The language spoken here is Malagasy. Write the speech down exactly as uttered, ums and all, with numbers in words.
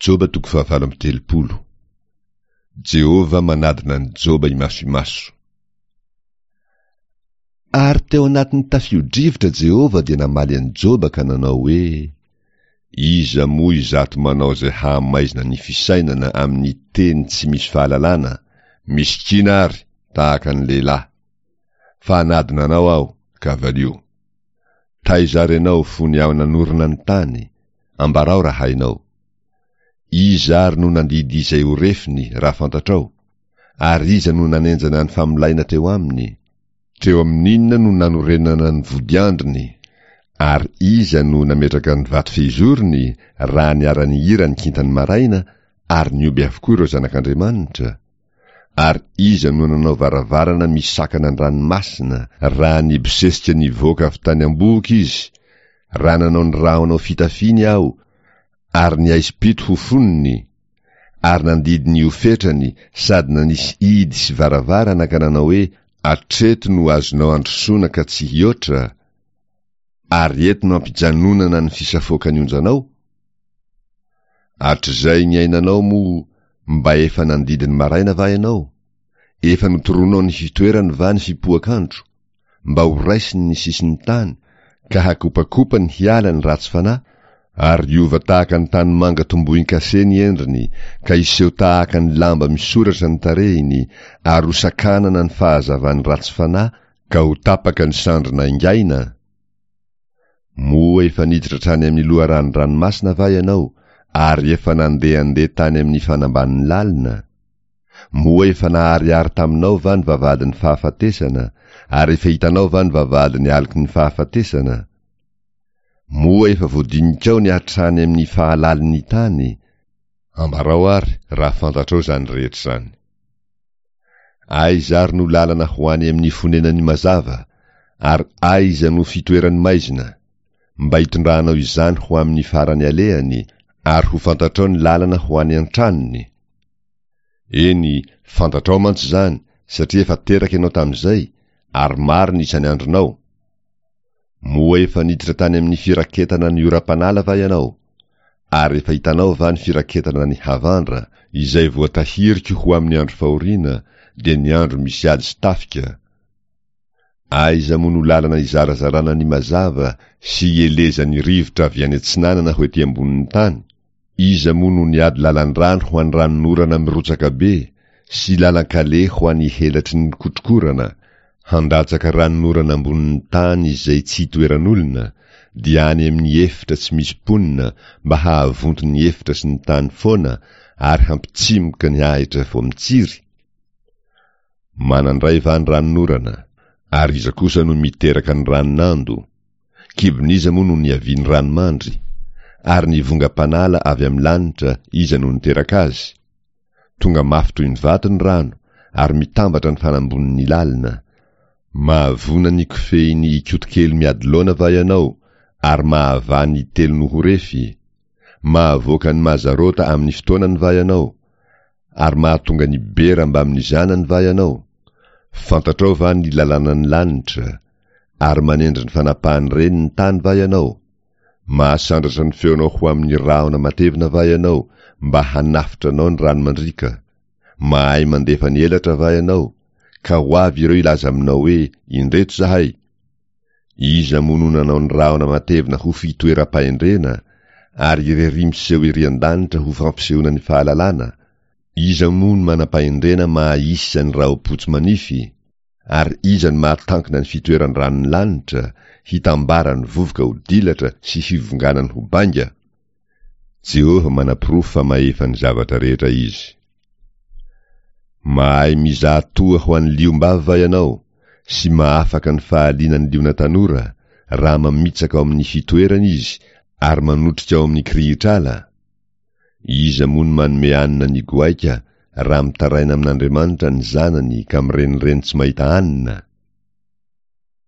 Joba toko fahavalo amby telopolo. Jehovah manadina an'i Joba imaso imaso. Ary teo anatin'ny tafio-drivotra Jehovah dia namaly an'i Joba ka nanao hoe, Iza moa izato manao izay hahamaizina ny fisainana amin'ny teny tsy misy fahalalana, misikina ary tahaka ny lehilahy. Fa hanadina anao aho, ka valio. Taiza ary ianao fony aho nanorina ny tany? Ambarao raha hainao. Iza ary no nandidy izay ho refiny, raha fantatrao? Ary iza no nanenjana ny famolaina teo aminy? Teo amin'inona no nanorenana ny vodiandriny? Ary iza no nametraka ny vato fehizorony raha niara-nihira ny kintan'ny maraina ary nihoby avokoa ireo zanak'Andriamanitra? Ary iza no nanao varavarana misakana ny ranomasina raha nibosesika nivoaka avy tany am-bohoka izy, raha nanao ny rahona ho fitafiany aho ary ny aizim-pito ho fonony, ary nandidy ny ho fetrany sady nanisy hidy sy varavarana ka nanao hoe, Hatreto no azonao androsoana ka tsy hihoatra, ary eto no ampijanonana ny fisafoakan'ny onjanao? Hatrizay niainanao moa mba efa nandidy ny maraina va ianao? Efa notoronao ny fitoerany va ny fipoak'andro? Mba ho raisiny ny sisin'ny tany, ka hakopakopany hiala ny ratsy fanahy, ary hiova tahaka ny tanimanga tombohin-kase ny endriny, ka hiseho tahaka ny lamba misoratra ny tarehiny, ary hosakanana ny fahazavan'ny ratsy fanahy, ka ho tapaka ny sandry naingaina? Moa efa niditra hatrany amin'ny loharanon-dranomasina va ianao, ary efa nandehandeha tany amin'ny fanambanin'ny lalina? Moa efa naharihary taminao va ny vavahadin'ny fahafatesana, ary efa hitanao va ny vavahadin'ny aloky ny fahafatesana? Moa efa voadinikao ny hatrany amin'ny fahalalin'ny tany? Ambarao àry raha fantatrao izany rehetra izany. Aiza ary no lalana ho any amin'ny fonenan'ny mazava, ary aiza no fitoeran'ny maizina, mba hitondranao izany ho amin'ny farany alehany, ary ho fantatrao ny lalana ho any an-tranony? Eny, fantatrao mantsy izany, satria efa teraka ianao tamin'izay, ary maro ny isan'ny andronao. Moa efa niditra tany amin'ny firaketana ny oram-panala va ianao? Ary efa hitanao va ny firaketana ny havandra, izay voatahiriko ho amin'ny andro fahoriana, dia ny andro misy ady sy tafika? Aiza moa no lalana izarazarana ny mazava sy ielezan'ny rivotra avy any atsinanana ho ety ambonin'ny tany? Iza moa no niady lalan-drano ho an'ny ranonorana mirotsaka be, sy lalan-kaleha ho an'ny helatry ny kotrokorana, handatsaka ranonorana ambonin'ny tany izay tsy itoeran'olona, dia any amin'ny efitra tsy misy mponina mba hahavonto ny efitra sy ny tany foana ary hampitsimoka ny ahitra vao mitsiry? Manan-dray va ny ranonorana, ary iza kosa no miteraka ny ranon'ando? Kibon'iza moa no niavian'ny ranomandry? Ary ny vongam-panala avy amin'ny lanitra, iza no niteraka azy? Tonga mafy toy ny vato ny rano, ary mitambatra ny fanambonin'ny lalina. Mahavona ny kofehin'ny Ikotokely miady laona va ianao, ary mahavaha ny telo no ho refy? Mahavoaka ny Mazarota amin'ny fotoanany va ianao? Ary mahatonga ny bera mbamin'ny zanany va ianao? Fantatrao va ny lalànan'ny lanitra? Ary manendry ny fanapahan'ny reny ny tany va ianao? Mahasandratra ny feonao ho amin'ny rahona matevina va ianao mba hanafotra anao ny rano mandriaka? Mahay mandefa ny elatra va ianao, ka ho avy ireo hilaza aminao hoe, Indreto izahay? Iza moa no nanao ny rahona matevina ho fitoeram-pahendrena, ary irery miseho ery an-danitra ho fampisehoana ny fahalalana? Iza moa no manam-pahendrena maha-isa ny rahom-potsy manify? Ary iza no mahatankina ny fitoeran-dranon'ny lanitra, hitambaran'ny vovoka ho dilatra sy hivonganany ho bainga? Jehovah manaporofo fa mahefa ny zavatra rehetra izy. Mahay mizaha toa ho an'ny liom-bavy va ianao, sy mahafaka ny fahalianan'ny liona tanora, raha mamitsaka ao amin'ny fitoerany izy ary manotrika ao amin'ny kirihitr'ala? Iza moa no manome hanina ny goaika raha mitaraina amin'Andriamanitra ny zanany ka mirenireny tsy mahita hanina?